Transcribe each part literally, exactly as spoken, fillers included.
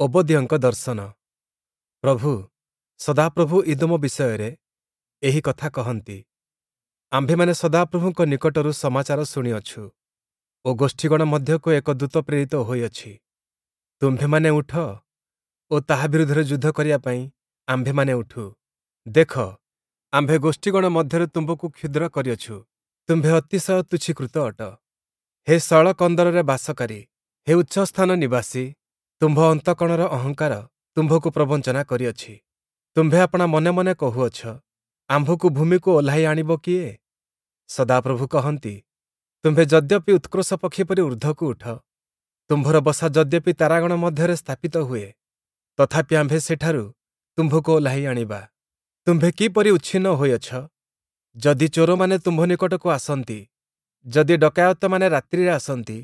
ଓବଦୀୟଙ୍କ ଦର୍ଶନ। ପ୍ରଭୁ, ସଦାପ୍ରଭୁ ଇଦୋମ ବିଷୟରେ ଏହି କଥା କହନ୍ତି, ଆମ୍ଭେମାନେ ସଦାପ୍ରଭୁଙ୍କ ନିକଟରୁ ସମାଚାର ଶୁଣିଅଛୁ ଓ ଗୋଷ୍ଠୀଗଣ ମଧ୍ୟକୁ ଏକ ଦୂତ ପ୍ରେରିତ ହୋଇଅଛି। ତୁମ୍ଭେମାନେ ଉଠ ଓ ତାହା ବିରୁଦ୍ଧରେ ଯୁଦ୍ଧ କରିବା ପାଇଁ ଆମ୍ଭେମାନେ ଉଠୁ। ଦେଖ, ଆମ୍ଭେ ଗୋଷ୍ଠୀଗଣ ମଧ୍ୟରେ ତୁମ୍ଭକୁ କ୍ଷୁଦ୍ର କରିଅଛୁ। ତୁମ୍ଭେ ଅତିଶୟ ତୁଚ୍ଛୀକୃତ ଅଟ। ହେ ଶୈଳକନ୍ଦରରେ ବାସକାରୀ, ହେ ଉଚ୍ଚସ୍ଥାନ ନିବାସୀ, ତୁମ୍ଭ ଅନ୍ତଃକରଣର ଅହଙ୍କାର ତୁମ୍ଭକୁ ପ୍ରବଞ୍ଚନା କରିଅଛି। ତୁମ୍ଭେ ଆପଣା ମନେ ମନେ କହୁଅଛ, ଆମ୍ଭକୁ ଭୂମିକୁ ଓହ୍ଲାଇ ଆଣିବ କିଏ? ସଦାପ୍ରଭୁ କହନ୍ତି, ତୁମ୍ଭେ ଯଦ୍ୟପି ଉତ୍କ୍ରୋଶ ପକ୍ଷୀ ପରି ଊର୍ଦ୍ଧ୍ୱକୁ ଉଠ, ତୁମ୍ଭର ବସା ଯଦ୍ୟପି ତାରାଗଣ ମଧ୍ୟରେ ସ୍ଥାପିତ ହୁଏ, ତଥାପି ଆମ୍ଭେ ସେଠାରୁ ତୁମ୍ଭକୁ ଓହ୍ଲାଇ ଆଣିବା। ତୁମ୍ଭେ କିପରି ଉଚ୍ଛିନ୍ନ ହୋଇଅଛ! ଯଦି ଚୋରମାନେ ତୁମ୍ଭ ନିକଟକୁ ଆସନ୍ତି, ଯଦି ଡକାୟତମାନେ ରାତ୍ରିରେ ଆସନ୍ତି,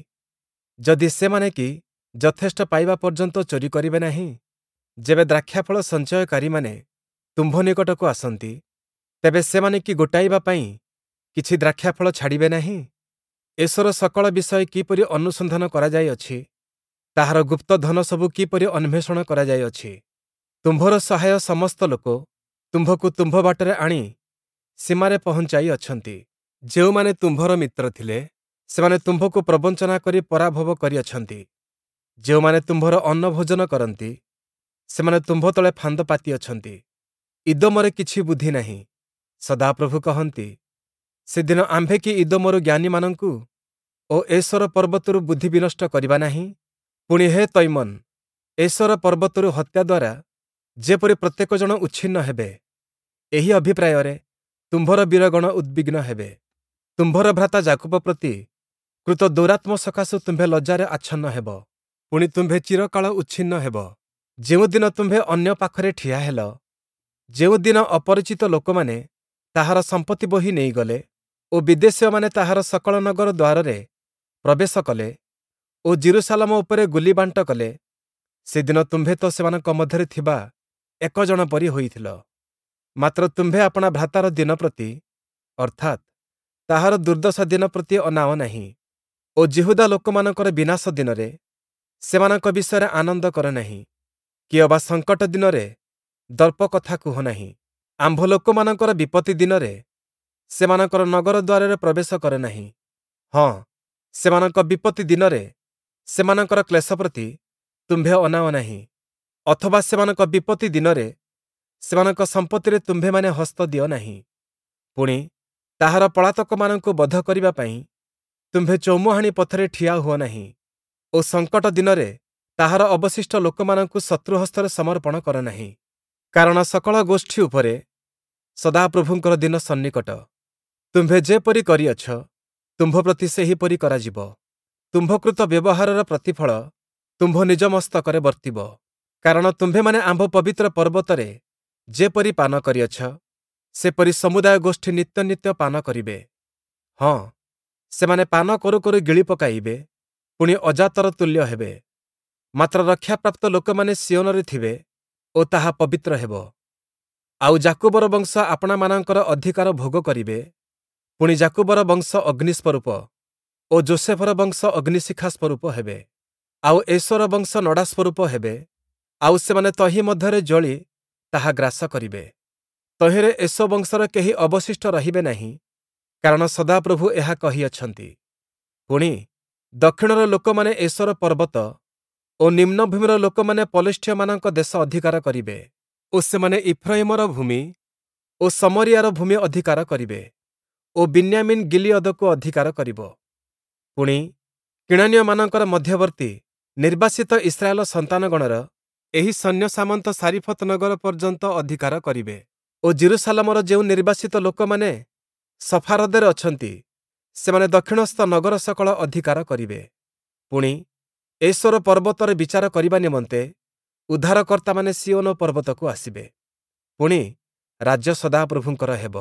ଯଦି ସେମାନେ କି ଯଥେଷ୍ଟ ପାଇବା ପର୍ଯ୍ୟନ୍ତ ଚୋରି କରିବେ ନାହିଁ? ଯେବେ ଦ୍ରାକ୍ଷାଫଳ ସଞ୍ଚୟକାରୀମାନେ ତୁମ୍ଭ ନିକଟକୁ ଆସନ୍ତି, ତେବେ ସେମାନେ କି ଗୋଟାଇବା ପାଇଁ କିଛି ଦ୍ରାକ୍ଷାଫଳ ଛାଡ଼ିବେ ନାହିଁ? ଏସୋର ସକଳ ବିଷୟ କିପରି ଅନୁସନ୍ଧାନ କରାଯାଇଅଛି! ତାହାର ଗୁପ୍ତ ଧନସବୁ କିପରି ଅନ୍ୱେଷଣ କରାଯାଇଅଛି! ତୁମ୍ଭର ସହାୟ ସମସ୍ତ ଲୋକ ତୁମ୍ଭକୁ ତୁମ୍ଭ ବାଟରେ ଆଣି ସୀମାରେ ପହଞ୍ଚାଇ ଅଛନ୍ତି। ଯେଉଁମାନେ ତୁମ୍ଭର ମିତ୍ର ଥିଲେ, ସେମାନେ ତୁମ୍ଭକୁ ପ୍ରବଞ୍ଚନା କରି ପରାଭବ କରିଅଛନ୍ତି। ଯେଉଁମାନେ ତୁମ୍ଭର ଅନ୍ନ ଭୋଜନ କରନ୍ତି, ସେମାନେ ତୁମ୍ଭ ତଳେ ଫାନ୍ଦ ପାତିଅଛନ୍ତି। ଇଦୋମରେ କିଛି ବୁଦ୍ଧି ନାହିଁ। ସଦାପ୍ରଭୁ କହନ୍ତି, ସେଦିନ ଆମ୍ଭେ କି ଇଦୋମରୁ ଜ୍ଞାନୀମାନଙ୍କୁ ଓ ଏସୋର ପର୍ବତରୁ ବୁଦ୍ଧି ବିନଷ୍ଟ କରିବା ନାହିଁ? ପୁଣି ହେ ତୈମନ୍, ଏସୋର ପର୍ବତରୁ ହତ୍ୟା ଦ୍ୱାରା ଯେପରି ପ୍ରତ୍ୟେକ ଜଣ ଉଚ୍ଛିନ୍ନ ହେବେ, ଏହି ଅଭିପ୍ରାୟରେ ତୁମ୍ଭର ବୀରଗଣ ଉଦ୍ବିଗ୍ନ ହେବେ। ତୁମ୍ଭର ଭ୍ରାତା ଯାକୁବ ପ୍ରତି କୃତ ଦୌରାତ୍ମ୍ୟ ସକାଶୁ ତୁମ୍ଭେ ଲଜ୍ଜାରେ ଆଚ୍ଛନ୍ନ ହେବ, ପୁଣି ତୁମ୍ଭେ ଚିରକାଳ ଉଚ୍ଛିନ୍ନ ହେବ। ଯେଉଁଦିନ ତୁମ୍ଭେ ଅନ୍ୟ ପାଖରେ ଠିଆ ହେଲ, ଯେଉଁଦିନ ଅପରିଚିତ ଲୋକମାନେ ତାହାର ସମ୍ପତ୍ତି ବୋହି ନେଇଗଲେ ଓ ବିଦେଶୀୟମାନେ ତାହାର ସକଳ ନଗର ଦ୍ୱାରରେ ପ୍ରବେଶ କଲେ ଓ ଯିରୂଶାଲମ ଉପରେ ଗୁଲି ବାଣ୍ଟ କଲେ, ସେଦିନ ତୁମ୍ଭେ ତ ସେମାନଙ୍କ ମଧ୍ୟରେ ଥିବା ଏକ ଜଣ ପରି ହୋଇଥିଲ। ମାତ୍ର ତୁମ୍ଭେ ଆପଣା ଭ୍ରାତାର ଦିନ ପ୍ରତି, ଅର୍ଥାତ୍, ତାହାର ଦୁର୍ଦ୍ଦଶା ଦିନ ପ୍ରତି ଅନାଅ ନାହିଁ ଓ ଯିହୁଦା ଲୋକମାନଙ୍କର ବିନାଶ ଦିନରେ ସେମାନଙ୍କ ବିଷୟରେ ଆନନ୍ଦ କର ନାହିଁ, କି ଅବା ସଙ୍କଟ ଦିନରେ ଦର୍ପ କଥା କୁହ ନାହିଁ। ଆମ୍ଭ ଲୋକମାନଙ୍କର ବିପତ୍ତି ଦିନରେ ସେମାନଙ୍କର ନଗର ଦ୍ୱାରରେ ପ୍ରବେଶ କର ନାହିଁ। ହଁ, ସେମାନଙ୍କ ବିପତ୍ତି ଦିନରେ ସେମାନଙ୍କର କ୍ଲେଶ ପ୍ରତି ତୁମ୍ଭେ ଅନାଅ ନାହିଁ, ଅଥବା ସେମାନଙ୍କ ବିପତ୍ତି ଦିନରେ ସେମାନଙ୍କ ସମ୍ପତ୍ତିରେ ତୁମ୍ଭେମାନେ ହସ୍ତ ଦିଅ ନାହିଁ। ପୁଣି, ତାହାର ପଳାତକମାନଙ୍କୁ ବଧ କରିବା ପାଇଁ ତୁମ୍ଭେ ଚୌମୁହାଣୀ ପଥରେ ଠିଆ ହୁଅ ନାହିଁ ଓ ସଙ୍କଟ ଦିନରେ ତାହାର ଅବଶିଷ୍ଟ ଲୋକମାନଙ୍କୁ ଶତ୍ରୁ ହସ୍ତରେ ସମର୍ପଣ କର ନାହିଁ। କାରଣ ସକଳ ଗୋଷ୍ଠୀ ଉପରେ ସଦାପ୍ରଭୁଙ୍କର ଦିନ ସନ୍ନିକଟ। ତୁମ୍ଭେ ଯେପରି କରିଅଛ, ତୁମ୍ଭ ପ୍ରତି ସେହିପରି କରାଯିବ। ତୁମ୍ଭକୃତ ବ୍ୟବହାରର ପ୍ରତିଫଳ ତୁମ୍ଭ ନିଜ ମସ୍ତକରେ ବର୍ତ୍ତିବ। କାରଣ ତୁମ୍ଭେମାନେ ଆମ୍ଭ ପବିତ୍ର ପର୍ବତରେ ଯେପରି ପାନ କରିଅଛ, ସେପରି ସମୁଦାୟ ଗୋଷ୍ଠୀ ନିତ୍ୟ ନିତ୍ୟ ପାନ କରିବେ। ହଁ, ସେମାନେ ପାନ କରୁ କରୁ ଗିଳି ପକାଇବେ, ପୁଣି ଅଜାତର ତୁଲ୍ୟ ହେବେ। ମାତ୍ର ରକ୍ଷାପ୍ରାପ୍ତ ଲୋକମାନେ ସିୟୋନରେ ଥିବେ ଓ ତାହା ପବିତ୍ର ହେବ। ଆଉ ଯାକୁବର ବଂଶ ଆପଣାମାନଙ୍କର ଅଧିକାର ଭୋଗ କରିବେ, ପୁଣି ଯାକୁବର ବଂଶ ଅଗ୍ନି ସ୍ୱରୂପ ଓ ଯୋଷେଫର ବଂଶ ଅଗ୍ନିଶିଖା ସ୍ୱରୂପ ହେବେ। ଆଉ ଏସୋର ବଂଶ ନଡ଼ା ସ୍ୱରୂପ ହେବେ, ଆଉ ସେମାନେ ତହିଁ ମଧ୍ୟରେ ଜଳି ତାହା ଗ୍ରାସ କରିବେ। ତହିଁରେ ଏସୋ ବଂଶର କେହି ଅବଶିଷ୍ଟ ରହିବେ ନାହିଁ, କାରଣ ସଦାପ୍ରଭୁ ଏହା କହିଅଛନ୍ତି। ପୁଣି, ଦକ୍ଷିଣର ଲୋକମାନେ ଏସୋର ପର୍ବତ ଓ ନିମ୍ନଭୂମିର ଲୋକମାନେ ପଲେଷ୍ଠୀୟମାନଙ୍କ ଦେଶ ଅଧିକାର କରିବେ ଓ ସେମାନେ ଇଫ୍ରୟିମର ଭୂମି ଓ ଶମରିୟାର ଭୂମି ଅଧିକାର କରିବେ ଓ ବିନ୍ୟାମୀନ୍ ଗିଲିୟଦକୁ ଅଧିକାର କରିବ। ପୁଣି, କିଣାନୀୟମାନଙ୍କର ମଧ୍ୟବର୍ତ୍ତୀ ନିର୍ବାସିତ ଇସ୍ରାଏଲ ସନ୍ତାନଗଣର ଏହି ସୈନ୍ୟସାମନ୍ତ ସାରିଫତ୍ ନଗର ପର୍ଯ୍ୟନ୍ତ ଅଧିକାର କରିବେ ଓ ଯିରୂଶାଲମର ଯେଉଁ ନିର୍ବାସିତ ଲୋକମାନେ ସଫାରଦରେ ଅଛନ୍ତି, ସେମାନେ ଦକ୍ଷିଣସ୍ଥ ନଗର ସକଳ ଅଧିକାର କରିବେ। ପୁଣି, ଏସୋର ପର୍ବତରେ ବିଚାର କରିବା ନିମନ୍ତେ ଉଦ୍ଧାରକର୍ତ୍ତାମାନେ ସିୟୋନ ପର୍ବତକୁ ଆସିବେ। ପୁଣି, ରାଜ୍ୟ ସଦାପ୍ରଭୁଙ୍କର ହେବ।